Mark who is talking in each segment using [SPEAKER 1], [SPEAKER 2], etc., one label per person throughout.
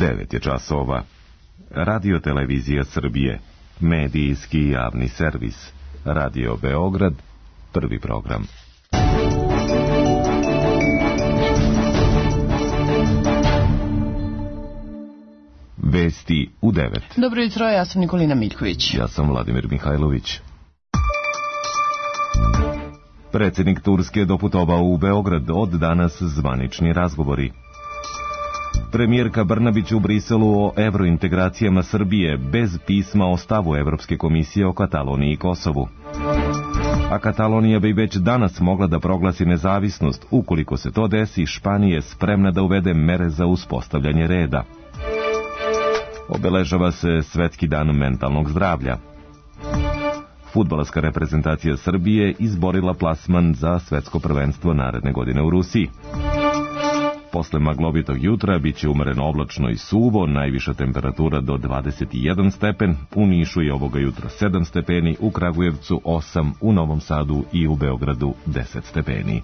[SPEAKER 1] 9 je časova. Radio Televizija Srbije, medijski javni servis. Radio Beograd, prvi program. Vesti u 9.
[SPEAKER 2] Dobro jutro, ja sam Nikolina Miljković.
[SPEAKER 1] Ja sam Vladimir Mihajlović. Predsjednik Turske doputovao u Beograd, od danas zvanični razgovori. Premijerka Brnabić u Briselu o evrointegracijama Srbije bez pisma o stavu Evropske komisije o Kataloniji i Kosovu. A Katalonija bi već danas mogla da proglasi nezavisnost. Ukoliko se to desi, Španija je spremna da uvede mere za uspostavljanje reda. Obeležava se Svetski dan mentalnog zdravlja. Fudbalska reprezentacija Srbije izborila plasman za svetsko prvenstvo naredne godine u Rusiji. Posle maglovitog jutra biće umereno oblačno i suvo, najviša temperatura do 21 stepen, u Nišu je ovoga jutra 7 stepeni, u Kragujevcu 8, u Novom Sadu i u Beogradu 10 stepeni.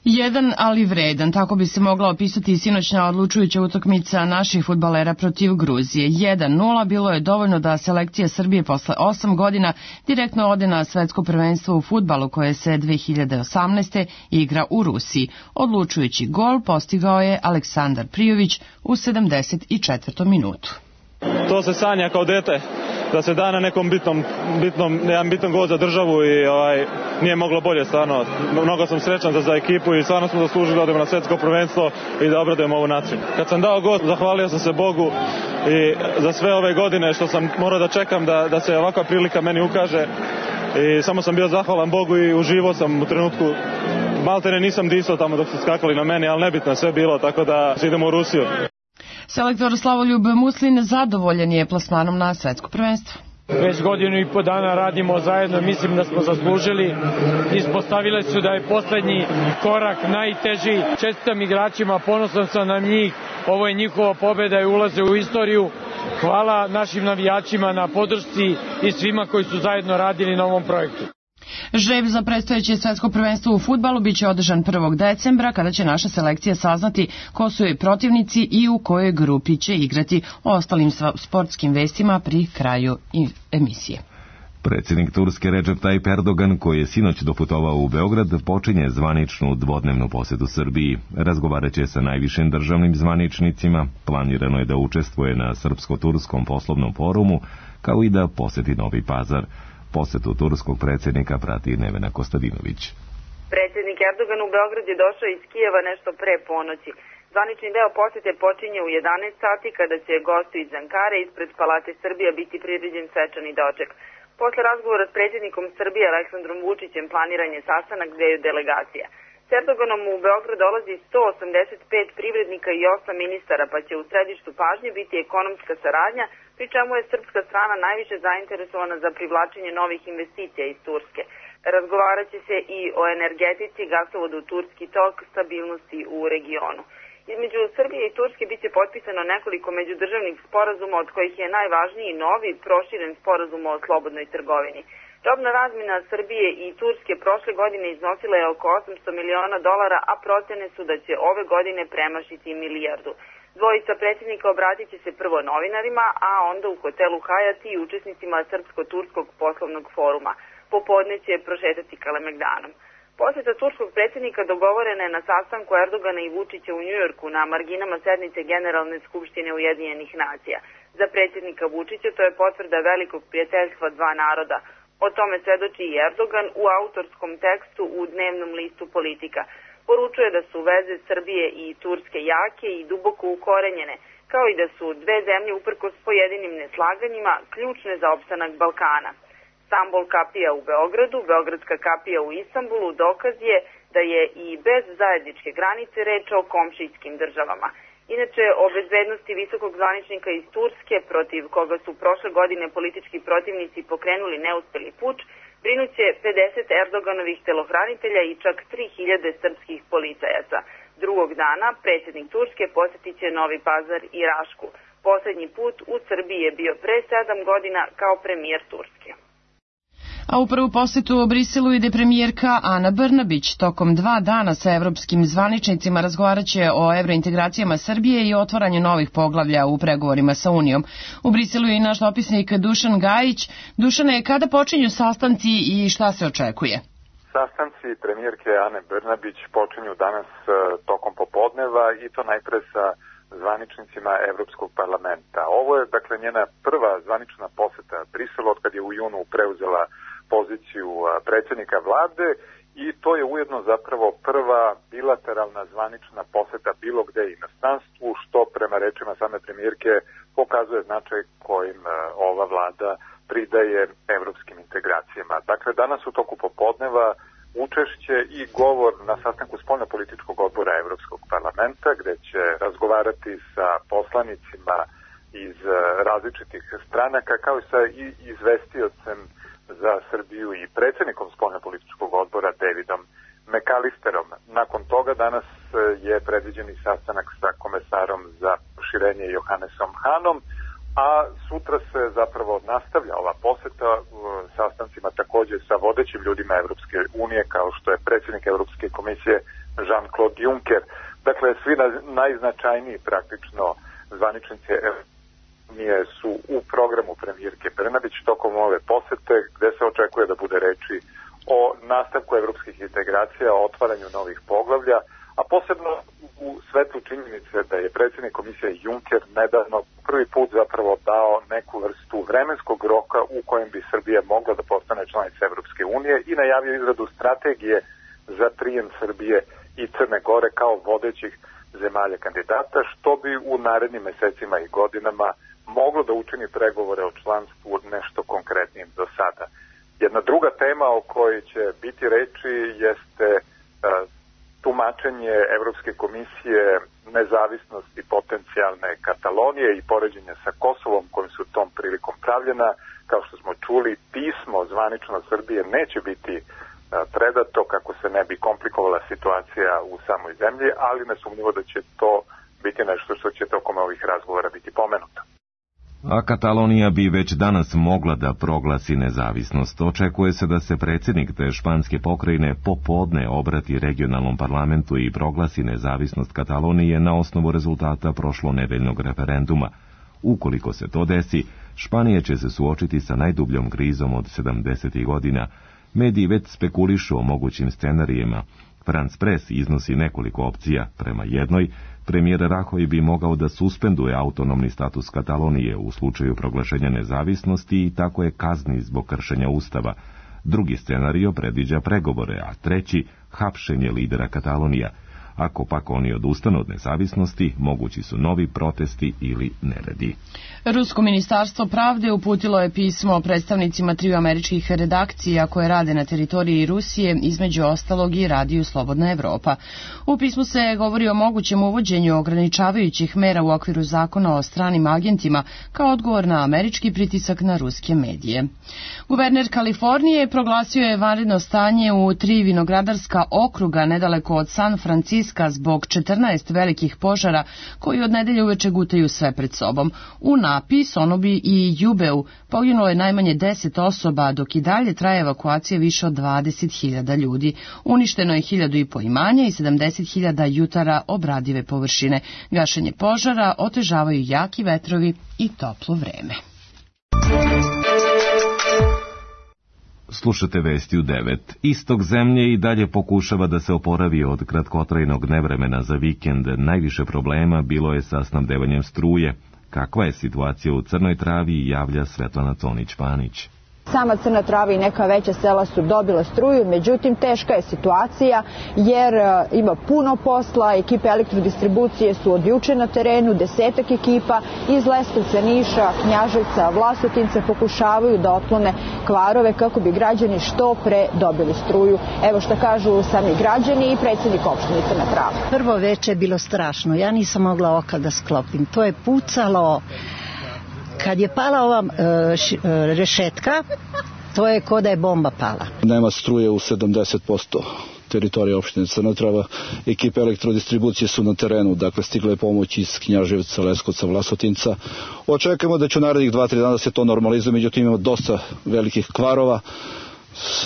[SPEAKER 2] Jedan, ali vredan, tako bi se mogla opisati sinoćna odlučujuća utakmica naših fudbalera protiv Gruzije. 1:0 bilo je dovoljno da selekcija Srbije posle 8 godina direktno ode na svetsko prvenstvo u fudbalu koje se 2018. igra u Rusiji. Odlučujući gol postigao je Aleksandar Prijović u 74. minutu.
[SPEAKER 3] To se sanja kao dete, da se da na nekom bitan gol za državu i nije moglo bolje, stvarno. Mnogo sam srećan za ekipu i stvarno smo zaslužili da odemo na svetsko prvenstvo i da obradujemo ovu naciju. Kad sam dao gol, zahvalio sam se Bogu i za sve ove godine što sam morao da čekam da se ovakva prilika meni ukaže i samo sam bio zahvalan Bogu i uživao sam u trenutku. Maltene nisam disao tamo dok su skakali na meni, ali nebitno sve bilo, tako da idemo u Rusiju.
[SPEAKER 2] Selektor Slavoljub Muslin zadovoljan je plasmanom na svetsko prvenstvo.
[SPEAKER 4] Već godinu i po dana radimo zajedno, mislim da smo zaslužili. Ispostavile su da je poslednji korak najteži. Čestitam igračima, ponosan sam na njih. Ovo je njihova pobeda i ulaze u istoriju. Hvala našim navijačima na podršci i svima koji su zajedno radili na ovom projektu.
[SPEAKER 2] Žreb za predstojeće svetsko prvenstvo u fudbalu biće održan 1. decembra, kada će naša selekcija saznati ko su joj protivnici i u kojoj grupi će igrati. O ostalim sportskim vestima pri kraju emisije.
[SPEAKER 1] Predsjednik Turske Recep Tayyip Erdogan, koji je sinoć doputovao u Beograd, počinje zvaničnu dvodnevnu posjetu Srbiji. Razgovaraće sa najvišim državnim zvaničnicima, planirano je da učestvuje na Srpsko-turskom poslovnom forumu, kao i da posjeti Novi Pazar. Posetu turskog predsjednika prati Nevena Kostadinović.
[SPEAKER 5] Predsjednik Erdogan u Beograd je došao iz Kijeva nešto pre ponoći. Zvanični deo posjete počinje u 11 sati kada će gostu iz Ankare ispred Palate Srbija biti priređen svečani doček. Posle razgovora s predsjednikom Srbije Aleksandrom Vučićem planiran je sastanak dveju delegacija. S Erdoganom u Beograd dolazi 185 privrednika i 8 ministara, pa će u središtu pažnje biti ekonomska saradnja, pri čemu je srpska strana najviše zainteresovana za privlačenje novih investicija iz Turske. Razgovaraće se i o energetici, gasovodu Turski tok, stabilnosti u regionu. Između Srbije i Turske biće potpisano nekoliko međudržavnih sporazuma, od kojih je najvažniji novi proširen sporazum o slobodnoj trgovini. Robna razmjena Srbije i Turske prošle godine iznosila je oko $800 miliona, a procene su da će ove godine premašiti milijardu. Dvojica predsjednika obratit će se prvo novinarima, a onda u hotelu Hajat i učesnicima Srpsko-turskog poslovnog foruma. Popodne će prošetati Kalemegdanom. Posjeta turskog predsjednika dogovorena je na sastanku Erdogana i Vučića u Njujorku na marginama sednice Generalne skupštine Ujedinjenih nacija. Za predsjednika Vučića to je potvrda velikog prijateljstva dva naroda. O tome svedoči i Erdogan u autorskom tekstu u dnevnom listu Politika. Poručuje da su veze Srbije i Turske jake i duboko ukorenjene, kao i da su dve zemlje uprkos pojedinim neslaganjima ključne za opstanak Balkana. Stambol kapija u Beogradu, Beogradska kapija u Istanbulu dokaz je da je i bez zajedničke granice reč o komšijskim državama. Inače, o bezbednosti visokog zvaničnika iz Turske, protiv koga su prošle godine politički protivnici pokrenuli neuspeli puč, brinuće 50 Erdoganovih telohranitelja i čak 3000 srpskih policajaca. Drugog dana predsjednik Turske posjetit će Novi Pazar i Rašku. Poslednji put u Srbiji je bio pre 7 godina kao premijer Turske.
[SPEAKER 2] A u prvu posetu u Briselu ide premijerka Ana Brnabić. Tokom 2 dana sa evropskim zvaničnicima razgovaraće o evrointegracijama Srbije i otvaranju novih poglavlja u pregovorima sa Unijom. U Briselu je i naš dopisnik Dušan Gajić. Dušane, kada počinju sastanci i šta se očekuje?
[SPEAKER 6] Sastanci premijerke Ane Brnabić počinju danas tokom popodneva i to najpre sa zvaničnicima Evropskog parlamenta. Ovo je dakle njena prva zvanična poseta Briselu od kad je u junu preuzela poziciju predsjednika vlade i to je ujedno zapravo prva bilateralna zvanična poseta bilo gde inostranstvu, što prema rečima same premijerke pokazuje značaj kojim ova vlada pridaje evropskim integracijama. Dakle, danas u toku popodneva učešće i govor na sastanku spoljnopolitičkog odbora Evropskog parlamenta, gde će razgovarati sa poslanicima iz različitih stranaka, kao i sa izvestiocem za Srbiju i predsjednikom spoljnopolitičkog odbora Davidom McAllisterom. Nakon toga danas je predviđen i sastanak sa komesarom za proširenje Johannesom Hanom, a sutra se zapravo nastavlja ova poseta sastancima također sa vodećim ljudima Evropske unije, kao što je predsjednik Evropske komisije Jean-Claude Juncker. Dakle, svi najznačajniji praktično zvaničnici Unije su u programu premijerke Brnabić tokom ove posete, gde se očekuje da bude reči o nastavku evropskih integracija, o otvaranju novih poglavlja, a posebno u svetlu činjenice da je predsjednik komisije Juncker nedavno prvi put zapravo dao neku vrstu vremenskog roka u kojem bi Srbija mogla da postane članica Evropske unije i najavio izradu strategije za prijem Srbije i Crne Gore kao vodećih zemalja kandidata, što bi u narednim mesecima i godinama moglo da učini pregovore o članstvu nešto konkretnijim do sada. Jedna druga tema o kojoj će biti reči jeste tumačenje Evropske komisije nezavisnosti potencijalne Katalonije i poređenja sa Kosovom kojim su tom prilikom pravljena. Kao što smo čuli, pismo zvanično Srbije neće biti predato kako se ne bi komplikovala situacija u samoj zemlji, ali nesumnjivo da će to biti nešto što će tokom ovih razgovora biti pomenuto.
[SPEAKER 1] A Katalonija bi već danas mogla da proglasi nezavisnost. Očekuje se da se predsjednik te španske pokrajine popodne obrati regionalnom parlamentu i proglasi nezavisnost Katalonije na osnovu rezultata prošlonedeljnog referenduma. Ukoliko se to desi, Španija će se suočiti sa najdubljom krizom od 70. godina. Mediji već spekulišu o mogućim scenarijima. France Press iznosi nekoliko opcija. Prema jednoj, premijer Rajoy bi mogao da suspenduje autonomni status Katalonije u slučaju proglašenja nezavisnosti i tako je kazni zbog kršenja ustava. Drugi scenario predviđa pregovore, a treći hapšenje lidera Katalonija. Ako pak oni odustanu od nezavisnosti, mogući su novi protesti ili neredi.
[SPEAKER 2] Rusko ministarstvo pravde uputilo je pismo predstavnicima 3 američkih redakcija koje rade na teritoriji Rusije, između ostalog i Radiju Slobodna Evropa. U pismu se govori o mogućem uvođenju ograničavajućih mera u okviru zakona o stranim agentima kao odgovor na američki pritisak na ruske medije. Guverner Kalifornije proglasio je vanredno stanje u 3 vinogradarska okruga nedaleko od San Franciska zbog 14 velikih požara koji od nedelje uveče gutaju sve pred sobom. U Napi, Sonobi i Jubeu poginulo je najmanje 10 osoba, dok i dalje traje evakuacija više od 20.000 ljudi. Uništeno je 1.500 imanja i 70.000 jutara obradive površine. Gašenje požara otežavaju jaki vetrovi i toplo vreme.
[SPEAKER 1] Slušate vesti u 9. Istok zemlje i dalje pokušava da se oporavi od kratkotrajnog nevremena za vikend. Najviše problema bilo je sa snabdevanjem struje. Kakva je situacija u Crnoj Travi, javlja Svetlana Conić-Panić.
[SPEAKER 7] Sama Crna Trava i neka veća sela su dobila struju, međutim teška je situacija jer ima puno posla, ekipe elektrodistribucije su od juče na terenu, 10 ekipa iz Leskovca, Niša, Knjaževca, Vlasotinca pokušavaju da otklone kvarove kako bi građani što pre dobili struju. Evo šta kažu sami građani i predsjednik opštine Crna Trava.
[SPEAKER 8] Prvo veče je bilo strašno, ja nisam mogla oka da sklopim, to je pucalo. Kad je pala ova rešetka, to je ko da je bomba pala.
[SPEAKER 9] Nema struje u 70% teritorije opštine Crna Trava. Ekipe elektrodistribucije su na terenu, dakle stigle je pomoć iz Knjaževca, Leskovca, Vlasotinca. Očekujemo da će u narednih 2-3 dana se to normalizuje, međutim imamo dosta velikih kvarova.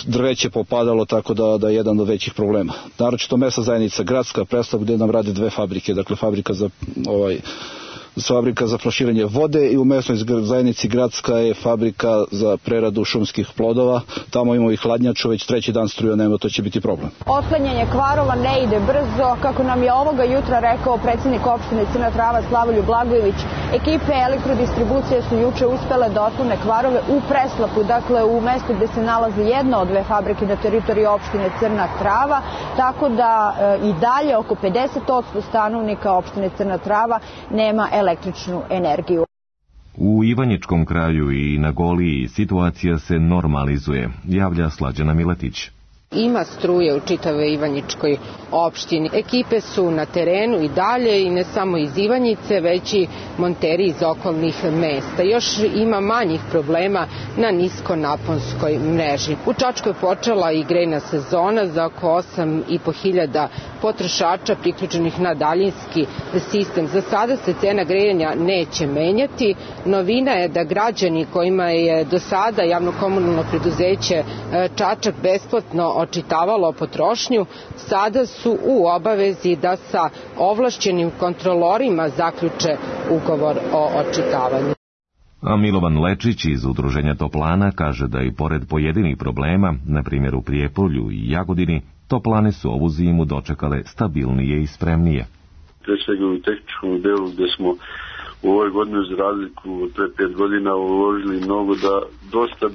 [SPEAKER 9] drveće popadalo, tako da je jedan od većih problema. Naročito mesna zajednica gradska Preslav, gde nam rade dve fabrike, dakle fabrika za flaširanje vode i u mesnoj zajednici gradska je fabrika za preradu šumskih plodova. Tamo imamo i hladnjaču, već treći dan struja nema, to će biti problem.
[SPEAKER 7] Otklanjanje kvarova ne ide brzo, kako nam je ovoga jutra rekao predsjednik opštine Crna Trava Slavoljub Blagojević. Ekipe elektrodistribucije su juče uspele da otklone kvarove u Preslapu, dakle u mestu gde se nalazi jedna od dve fabrike na teritoriji opštine Crna Trava, tako da i dalje oko 50% stanovnika opštine Crna Trava nema električnu energiju.
[SPEAKER 1] U Ivanjičkom kraju i na Goliji situacija se normalizuje, javlja Slađana Miletić.
[SPEAKER 10] Ima struje u čitavoj Ivanjičkoj opštini. Ekipe su na terenu i dalje i ne samo iz Ivanjice, već i monteri iz okolnih mesta. Još ima manjih problema na niskonaponskoj mreži. U Čačku je počela i grejna sezona za oko 8.500 potrošača priključenih na daljinski sistem. Za sada se cena grejanja neće menjati. Novina je da građani kojima je do sada javno-komunalno preduzeće Čačak besplatno očitavalo potrošnju, sada su u obavezi da sa ovlašćenim kontrolorima zaključe ugovor o očitavanju.
[SPEAKER 1] A Milovan Lečić iz Udruženja Toplana kaže da i pored pojedinih problema, na primjer u Prijepolju i Jagodini, Toplane su ovu zimu dočekale stabilnije i spremnije.
[SPEAKER 11] Pre svega u tehničkom delu gde smo u ovoj godini za razliku od pre 5 godina uložili mnogo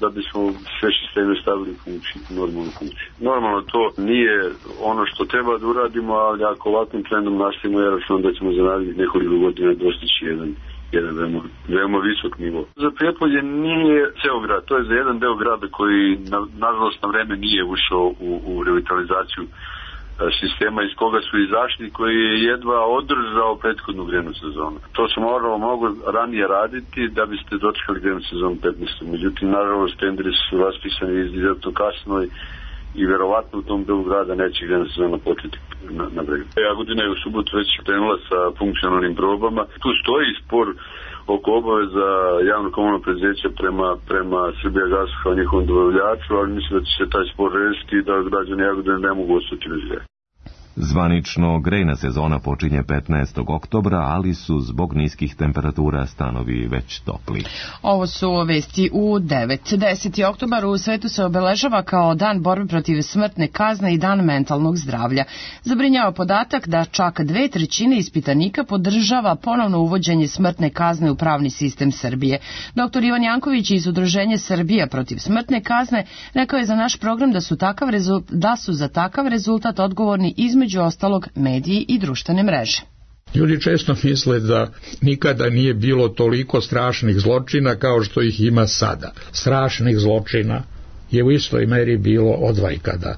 [SPEAKER 11] da bismo sve sisteme stavili u funkciju, normalnu funkciju. Normalno to nije ono što treba da uradimo, ali ako ovakvim trendom nastavimo, ja računam da ćemo za narednih nekoliko godina dostići jedan veoma visok nivo. Za Prijepolje nije ceo grad, to je za jedan deo grada koji nažalost na vreme nije ušao u revitalizaciju sistema iz koga su izašli, koji je jedva održao prethodnu grejnu sezonu. To se moralo mnogo ranije raditi da biste dočekali grejnu sezonu 15. Međutim, nažalost, tenderi su raspisani izuzetno kasno i verovatno u tom delu grada neće grejna sezona početi na bregu. Jagodina je u subotu već krenula sa funkcionalnim probama. Tu stoji spor oko obaveza javno-komunalnog preduzeća prema Srbijagasu kao njihovom dobavljaču, ali mislim da će se taj spor rešiti i da građani Jagodine ne mogu ostati bez greja.
[SPEAKER 1] Zvanično grejna sezona počinje 15. oktobra, ali su zbog niskih temperatura stanovi već topli.
[SPEAKER 2] Ovo su vesti u 9. 10. oktobar u svetu se obeležava kao dan borbe protiv smrtne kazne i dan mentalnog zdravlja. Zabrinjava podatak da čak 2/3 ispitanika podržava ponovno uvođenje smrtne kazne u pravni sistem Srbije. Dr. Ivan Janković iz Udruženja Srbija protiv smrtne kazne rekao je za naš program da su za takav rezultat odgovorni između ostalog mediji i društvene mreže.
[SPEAKER 12] Ljudi često misle da nikada nije bilo toliko strašnih zločina kao što ih ima sada. Strašnih zločina je u istoj meri bilo odvajkada.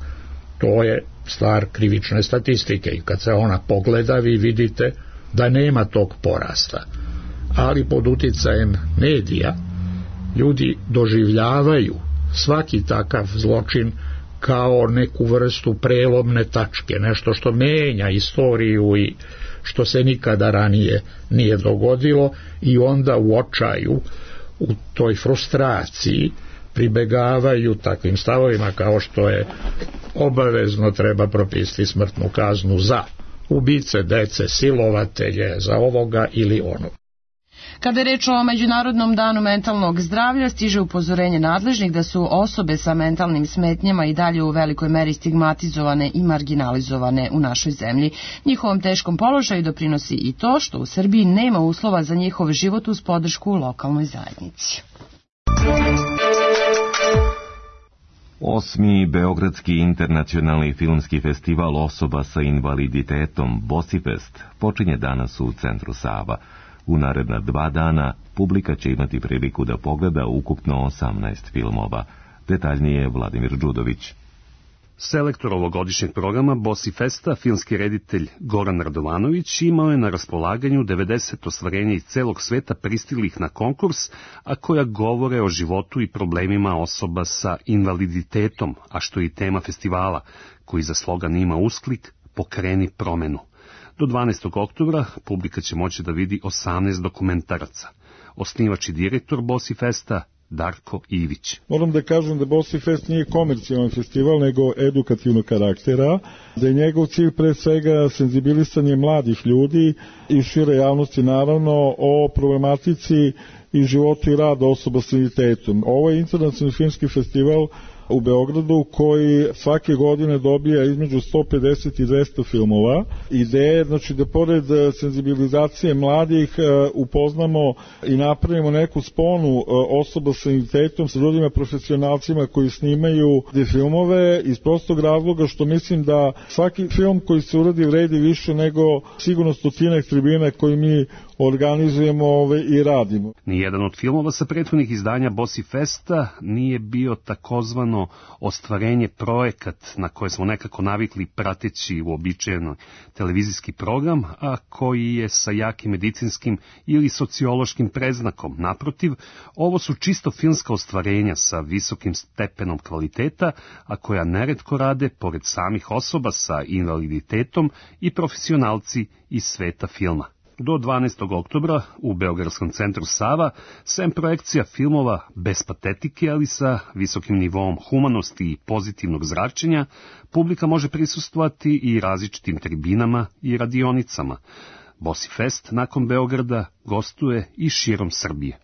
[SPEAKER 12] To je stvar krivične statistike i kad se ona pogleda vi vidite da nema tog porasta. Ali pod uticajem medija ljudi doživljavaju svaki takav zločin kao neku vrstu prelomne tačke, nešto što menja istoriju i što se nikada ranije nije dogodilo i onda u očaju, u toj frustraciji pribegavaju takvim stavovima kao što je obavezno treba propisati smrtnu kaznu za ubice dece, silovatelje, za ovoga ili onog.
[SPEAKER 2] Kada je reč o Međunarodnom danu mentalnog zdravlja, stiže upozorenje nadležnih da su osobe sa mentalnim smetnjama i dalje u velikoj meri stigmatizovane i marginalizovane u našoj zemlji. Njihovom teškom položaju doprinosi i to što u Srbiji nema uslova za njihov život uz podršku u lokalnoj zajednici.
[SPEAKER 1] 8. Beogradski internacionalni filmski festival osoba sa invaliditetom Bosifest počinje danas u centru Sava. U naredna 2 dana publika će imati priliku da pogleda ukupno 18 filmova. Detaljnije Vladimir Đudović.
[SPEAKER 13] Selektor ovogodišnjeg programa Bosifesta, filmski reditelj Goran Radovanović, imao je na raspolaganju 90 ostvarenja iz celog sveta pristiglih na konkurs, a koja govore o životu i problemima osoba sa invaliditetom, a što je i tema festivala, koji za slogan ima usklik Pokreni promenu. Do 12. oktobra publika će moći da vidi 18 dokumentaraca. Osnivač i direktor Bosifesta, Darko Ivić.
[SPEAKER 14] Moram da kažem da Bossi Fest nije komercijalan festival, nego edukativnog karaktera, da je njegov cilj pre svega senzibilisanje mladih ljudi i šire javnosti naravno o problematici i životu i radu osoba s invaliditetom. Ovo je internacionalni filmski festival u Beogradu koji svake godine dobija između 150 i 200 filmova. Ideja znači da pored senzibilizacije mladih upoznamo i napravimo neku sponu osoba sa invaliditetom sa drugima profesionalcima koji snimaju te filmove iz prostog razloga što mislim da svaki film koji se uradi vredi više nego sigurno stotinak tribina koji mi organizujemo i radimo.
[SPEAKER 13] Nijedan od filmova sa prethodnih izdanja Bossi Festa nije bio takozvano ostvarenje projekat na koje smo nekako navikli prateći uobičajeno televizijski program, a koji je sa jakim medicinskim ili sociološkim predznakom. Naprotiv, ovo su čisto filmska ostvarenja sa visokim stepenom kvaliteta, a koja neretko rade pored samih osoba sa invaliditetom i profesionalci iz sveta filma. Do 12. oktobra u Beogradskom centru Sava, sem projekcija filmova bez patetike, ali sa visokim nivoom humanosti i pozitivnog zračenja, publika može prisustvovati i različitim tribinama i radionicama. Bossi Fest nakon Beograda gostuje i širom Srbije.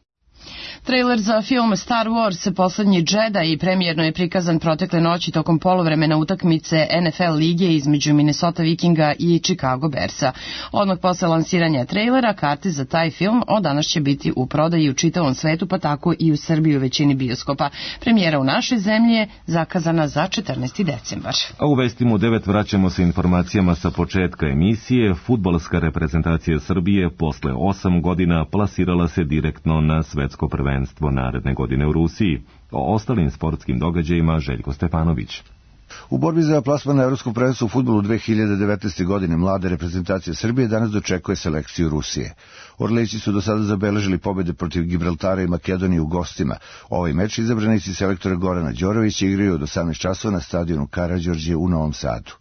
[SPEAKER 2] Trailer za film Star Wars, Poslednji Jedi, premijerno je prikazan protekle noći tokom poluvremena utakmice NFL lige između Minnesota Vikinga i Chicago Bearsa. Odmah posle lansiranja trailera, karte za taj film od danas će biti u prodaji u čitavom svetu, pa tako i u Srbiji u većini bioskopa. Premijera u našoj zemlji je zakazana za 14. decembar.
[SPEAKER 1] A u vestima u 9 vraćamo se informacijama sa početka emisije. Fudbalska reprezentacija Srbije posle 8 godina plasirala se direktno na svetsko prvenstvo naredne godine u Rusiji. O ostalim sportskim događajima Željko Stepanović.
[SPEAKER 15] U borbi za plasman na evropskom prvenstvu u fudbalu 2019. godine mlade reprezentacije Srbije danas dočekuje selekciju Rusije. Orlići su do sada zabeležili pobjede protiv Gibraltara i Makedonije u gostima. Ovaj meč izabranici selektora Gorana Đorovića igraju od 18 časova na stadionu Karađorđe u Novom Sadu.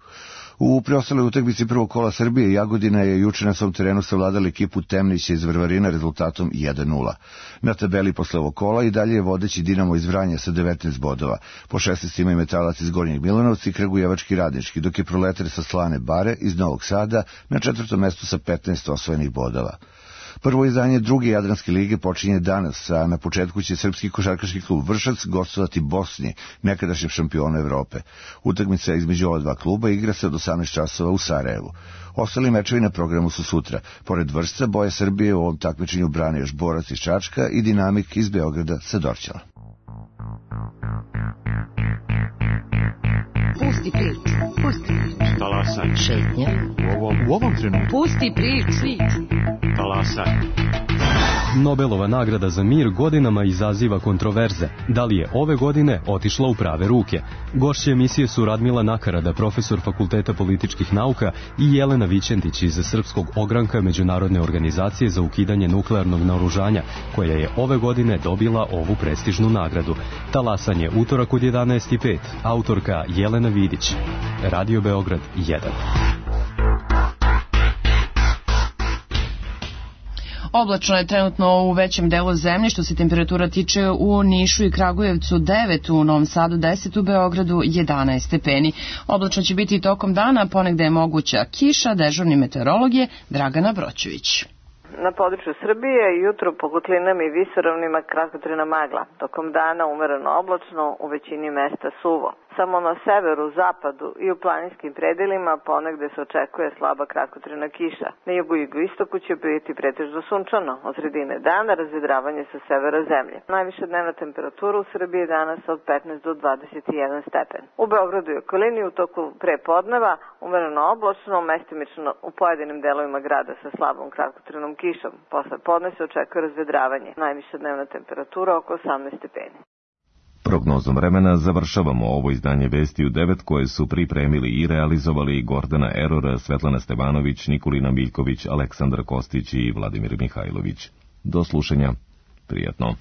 [SPEAKER 15] U preostaloj utakmici prvog kola Srbije Jagodina je juče na svom terenu savladala ekipu Temnića iz Varvarina rezultatom 1:0. Na tabeli posle ovog kola i dalje je vodeći Dinamo iz Vranja sa 19 bodova. Po 16 ima i Metalac iz Gornjeg Milanovca i Kragujevački Radnički, dok je Proletar sa Slane Bare iz Novog Sada na 4. mestu sa 15 osvojenih bodova. Prvo izdanje druge Jadranske lige počinje danas, a na početku će srpski košarkaški klub Vršac gostovati Bosni, nekadašnjem šampionu Evrope. Utakmica između ova dva kluba igra se od 18 časova u Sarajevu. Ostali mečevi na programu su sutra. Pored Vršca, boje Srbije u ovom takmičenju brane još Borac iz Čačka i Dinamik iz Beograda sa Dorćala.
[SPEAKER 16] Pusti priču.
[SPEAKER 17] Talasaj.
[SPEAKER 16] Šetnja.
[SPEAKER 17] U ovom trenutku.
[SPEAKER 16] Pusti priču.
[SPEAKER 17] Talasaj.
[SPEAKER 18] Nobelova nagrada za mir godinama izaziva kontroverze. Da li je ove godine otišla u prave ruke? Gošće emisije su Radmila Nakarada, profesor Fakulteta političkih nauka, i Jelena Vićentić iz Srpskog ogranka Međunarodne organizacije za ukidanje nuklearnog naoružanja, koja je ove godine dobila ovu prestižnu nagradu. Talasanje, utorak od 11:05. Autorka Jelena Vidić. Radio Beograd 1.
[SPEAKER 2] Oblačno je trenutno u većem delu zemlje, što se temperatura tiče u Nišu i Kragujevcu 9, u Novom Sadu 10, u Beogradu 11 stepeni. Oblačno će biti i tokom dana, ponegde je moguća kiša, dežurni meteorolog je Dragana Broćević.
[SPEAKER 19] Na području Srbije jutro po kotlinama i visoravnima kratkotrajna magla. Tokom dana umereno oblačno, u većini mesta suvo. Samo na severu, zapadu i u planinskim predelima ponegde se očekuje slaba kratkotrajna kiša. Na jugu i jugoistoku će biti pretežno sunčano. Od sredine dana razvedravanje sa severa zemlje. Najviša dnevna temperatura u Srbiji danas od 15 do 21 stepen. U Beogradu i okolini u toku prepodneva umereno oblačno, mestimično u pojedinim delovima grada sa slabom kratkotrajnom kišom. Posle podne se očekuje razvedravanje. Najviša dnevna temperatura oko 18 stepeni.
[SPEAKER 1] Prognozom vremena završavamo ovo izdanje Vesti u 9 koje su pripremili i realizovali Gordana Erora, Svetlana Stevanović, Nikolina Miljković, Aleksandar Kostić i Vladimir Mihajlović. Do slušanja. Prijatno.